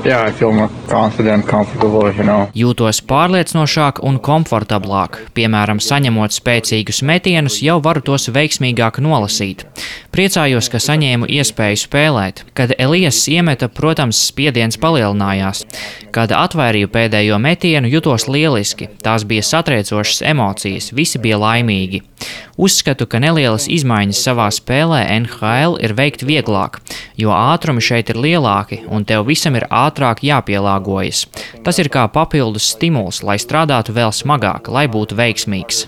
Yeah, I feel more confident, comfortable. Jūtos pārliecinošāk un komfortablāk. Piemēram, saņemot spēcīgus metienus, jau varu tos veiksmīgāk nolasīt. Priecājos, ka saņēmu iespēju spēlēt. Kad Elijas iemeta, protams, spiediens palielinājās. Kad atvairīju pēdējo metienu, jutos lieliski. Tās bija satriecošas emocijas, visi bija laimīgi. Uzskatu, ka nelielas izmaiņas savā spēlē NHL ir veikt vieglāk, jo ātrumi šeit ir lielāki un tev visam ir ātrāk jāpielāgojas. Tas ir kā papildus stimuls, lai strādātu vēl smagāk, lai būtu veiksmīgs.